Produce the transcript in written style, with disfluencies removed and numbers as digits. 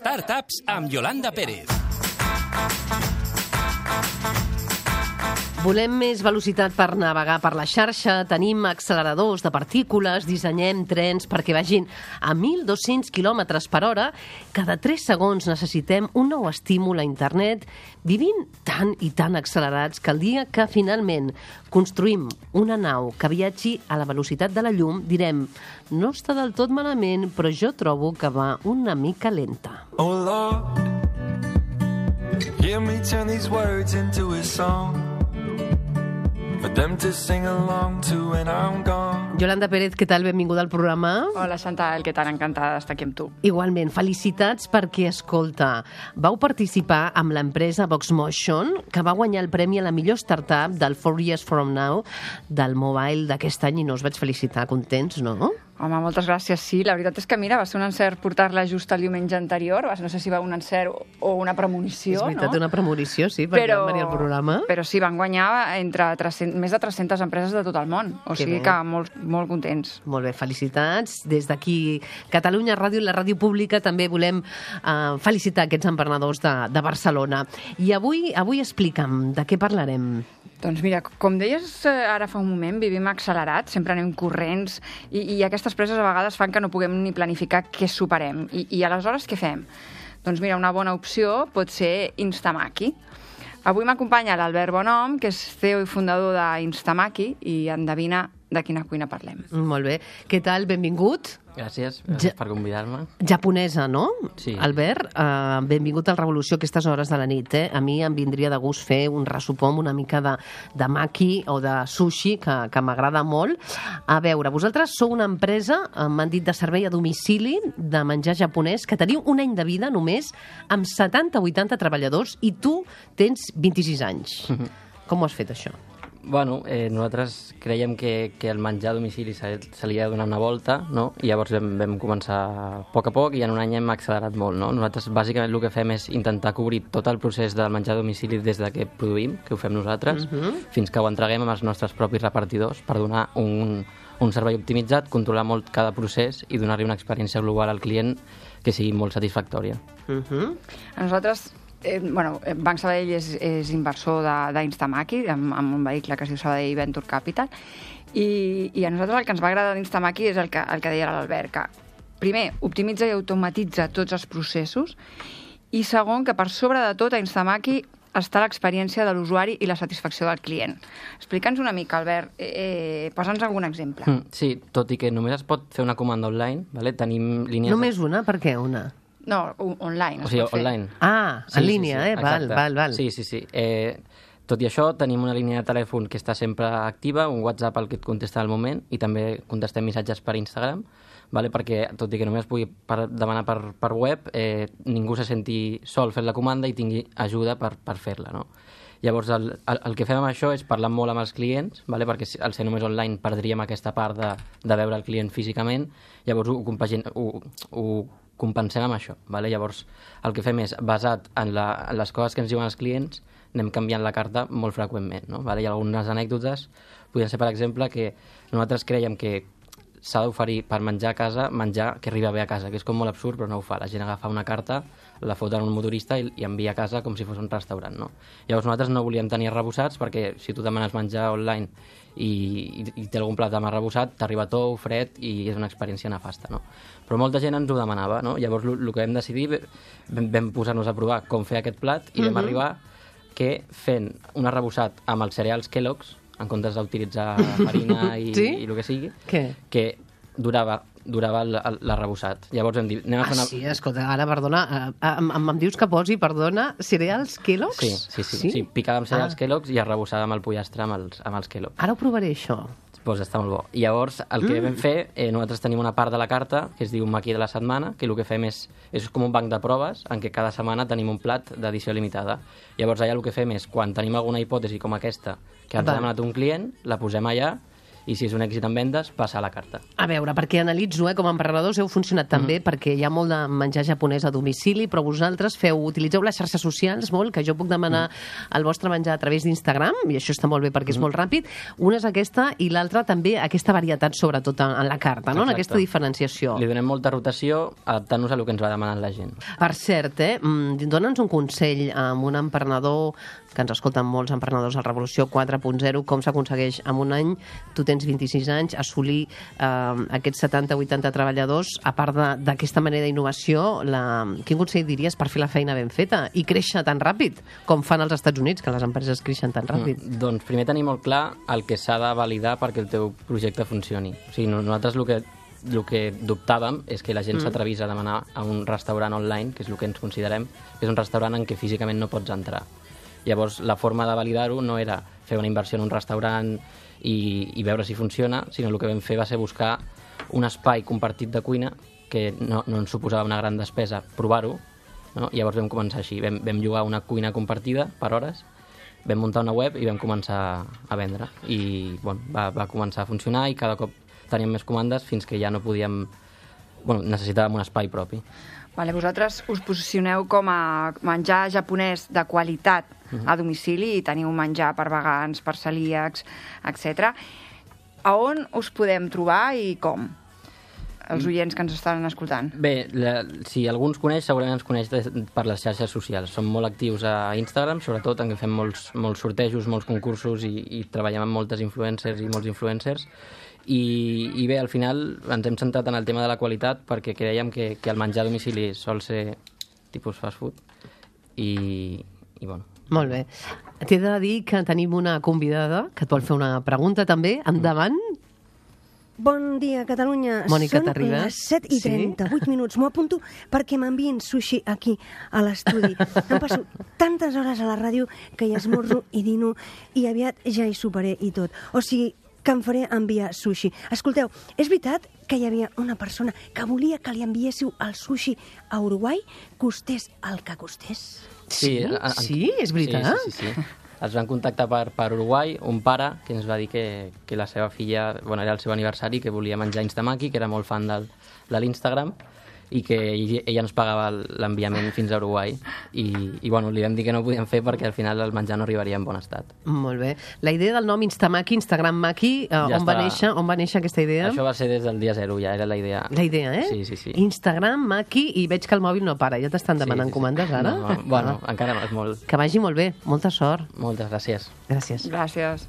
Startups amb Yolanda Pérez. Volem més velocitat per navegar per la xarxa, tenim acceleradors de partícules, dissenyem trens perquè vagin a 1.200 km per hora. Cada 3 segons necessitem un nou estímul a internet. Vivim tan i tan accelerats que el dia que finalment construïm una nau que viatgi a la velocitat de la llum, direm, no està del tot malament, però jo trobo que va una mica lenta. Oh Lord, hear me turn these words into a song for them to sing along to when I'm gone. Yolanda Pérez, què tal? Benvinguda al programa. Hola, Chantal, què tal? Encantada d'estar aquí amb tu. Igualment, felicitats perquè, escolta, vau participar amb l'empresa Voxmotion, que va guanyar el premi a la millor startup del 4 Years From Now del Mobile d'aquest any, i no us vaig felicitar. Contents, no? Home, moltes gràcies, sí. La veritat és que, mira, va ser un encert portar-la just el diumenge anterior. No sé si va un encert o una premonició, És veritat, no? una premonició, sí, perquè van venir al programa. Però sí, van guanyar entre més de 300 empreses de tot el món. O sigui que molt contents. Molt bé, felicitats. Des d'aquí, Catalunya Ràdio i la ràdio pública, també volem felicitar aquests emprenedors de Barcelona. I avui explica'm, de què parlarem? Doncs mira, com deies ara fa un moment, vivim accelerats, sempre anem corrents i aquestes preses a vegades fan que no puguem ni planificar què superem. I aleshores què fem? Doncs mira, una bona opció pot ser Instamaki. Avui m'acompanya l'Albert Bonhom, que és CEO i fundador d'Instamaki, i endevina de quina cuina parlem. Molt bé. Què tal? Benvingut. Gràcies per convidar-me. Japonesa, no? Sí. Albert, benvingut al Revolució a aquestes hores de la nit. A mi em vindria de gust fer un ressupó amb una mica de maki o de sushi, que m'agrada molt. A veure, vosaltres sou una empresa, m'han dit, de servei a domicili de menjar japonès, que teniu un any de vida només, amb 70-80 treballadors, i tu tens 26 anys. Com ho has fet, això? Bueno, nosaltres creiem que el menjar a domicili se li ha de donar una volta, no? I llavors vam començar a poc i en un any hem accelerat molt, no? Nosaltres bàsicament el que fem és intentar cobrir tot el procés del menjar a domicili des de que produïm, que ho fem nosaltres, fins que ho entreguem amb els nostres propis repartidors per donar un servei optimitzat, controlar molt cada procés i donar-li una experiència global al client que sigui molt satisfactòria. A nosaltres... Banc Sabadell és inversor d'Instamaki, amb un vehicle que es diu Sabadell Venture Capital, i a nosaltres el que ens va agradar d'Instamaki és el que deia l'Albert, que primer optimitza i automatitza tots els processos, i segon, que per sobre de tot a Instamaki està l'experiència de l'usuari i la satisfacció del client. Explica'ns una mica, Albert, posa'ns algun exemple. Sí, tot i que només es pot fer una comanda online, tenim línies... Només una? Per què una? No, online. O sigui, online. En línia, val. Sí. Tot i això, tenim una línia de telèfon que està sempre activa, un WhatsApp al que et contesta al moment, i també contestem missatges per Instagram, perquè, tot i que només pugui demanar per web, ningú se senti sol fent la comanda i tingui ajuda per fer-la, no? Llavors, el que fem amb això és parlar molt amb els clients, perquè al ser només online perdríem aquesta part de veure el client físicament, llavors ho compensem amb això. Llavors, el que fem és, basat en les coses que ens diuen els clients, anem canviant la carta molt freqüentment. Hi ha algunes anècdotes, podria ser, per exemple, que nosaltres creiem que s'ha d'oferir per menjar a casa, menjar que arriba bé a casa, que és com molt absurd, però no ho fa. La gent agafa una carta, la fot en un motorista i envia a casa com si fos un restaurant, no? Llavors nosaltres no volíem tenir arrebossats, perquè si tu demanes menjar online i té algun plat demà arrebossat, t'arriba tou, fred, i és una experiència nefasta, no? Però molta gent ens ho demanava, no? Llavors el que vam decidir, vam posar-nos a provar com fer aquest plat i vam arribar que fent un arrebossat amb els cereals Kellogg's, en comptes d'utilitzar farina i el que sigui, que durava l'arrebossat. Llavors vam dir... Sí, escolta, ara, perdona, em dius que posi, perdona, cereals Kellogg's? Sí, picada amb cereals Kellogg's i arrebossada amb el pollastre amb els Kellogg's. Ara ho provaré, això. Doncs està molt bo. I llavors, el que vam fer, nosaltres tenim una part de la carta que es diu Maqui de la setmana, que el que fem és com un banc de proves en què cada setmana tenim un plat d'edició limitada. Llavors allà el que fem és, quan tenim alguna hipòtesi com aquesta que ens ha demanat un client, la posem allà i si és un èxit en vendes, passa a la carta. A veure, perquè analitzo, com a emprenedors heu funcionat també, perquè hi ha molt de menjar japonès a domicili, però vosaltres utilitzeu les xarxes socials molt, que jo puc demanar el vostre menjar a través d'Instagram, i això està molt bé perquè és molt ràpid. Una és aquesta, i l'altra també aquesta varietat, sobretot en la carta, no? En aquesta diferenciació. Li donem molta rotació, adaptant-nos a el que ens va demanant la gent. Per cert, dona'ns un consell a un emprenedor, que ens escolten molts emprenedors a Revolució 4.0, com s'aconsegueix en un any, tu tens 26 anys, assolir aquests 70-80 treballadors, a part d'aquesta manera d'innovació, quin consell diries per fer la feina ben feta i créixer tan ràpid com fan als Estats Units, que les empreses creixen tan ràpid? Doncs primer tenir molt clar el que s'ha de validar perquè el teu projecte funcioni. O sigui, nosaltres el que dubtàvem és que la gent s'atrevís a demanar a un restaurant online, que és el que ens considerem, que és un restaurant en què físicament no pots entrar. Llavors, la forma de validar-ho no era fer una inversió en un restaurant i veure si funciona, sinó el que vam fer va ser buscar un espai compartit de cuina que no ens suposava una gran despesa, provar-ho, no? Llavors vam començar així, vam llogar una cuina compartida per hores, vam muntar una web i vam començar a vendre. I va començar a funcionar i cada cop teníem més comandes fins que ja no podíem... necessitàvem un espai propi. Vale, vosaltres us posicioneu com a menjar japonès de qualitat a domicili i teniu menjar per vegans, per celíacs, etc. A on us podem trobar i com? Els oients que ens estan escoltant. Bé, si algú ens coneix, segurament ens coneix per les xarxes socials. Som molt actius a Instagram, sobretot, en què fem molts sortejos, molts concursos i treballem amb moltes influencers i molts influencers. I bé, al final ens hem centrat en el tema de la qualitat perquè creiem que el menjar a domicili sol ser tipus fast food i bueno. Molt bé. T'he de dir que tenim una convidada que et vol fer una pregunta també. Endavant. Bon dia, Catalunya. Mònica, Són t'arribes? les 7:38 minuts. M'ho apunto perquè m'envien sushi aquí a l'estudi. Em passo tantes hores a la ràdio que hi esmorzo i dino i aviat ja hi soparé i tot. O sigui, que em faré enviar sushi. Escolteu, és veritat que hi havia una persona que volia que li enviéssiu el sushi a Uruguai, costés el que costés? Sí, és veritat? Sí. Es van contactar per Uruguai un pare que ens va dir que la seva filla, era el seu aniversari, que volia menjar Instamaki, que era molt fan de l'Instagram, i que ella ens pagava l'enviament fins a Uruguai. I li vam dir que no ho podíem fer perquè al final el menjar no arribaria en bon estat. Molt bé. La idea del nom Instamaki, Instagram Maki, on va néixer aquesta idea? Això va ser des del dia 0, ja era la idea. La idea, Sí. Instagram Maki, i veig que el mòbil no para. Ja t'estan demanant comandes ara? No, encara és molt... Que vagi molt bé. Molta sort. Moltes gràcies. Gràcies. Gràcies.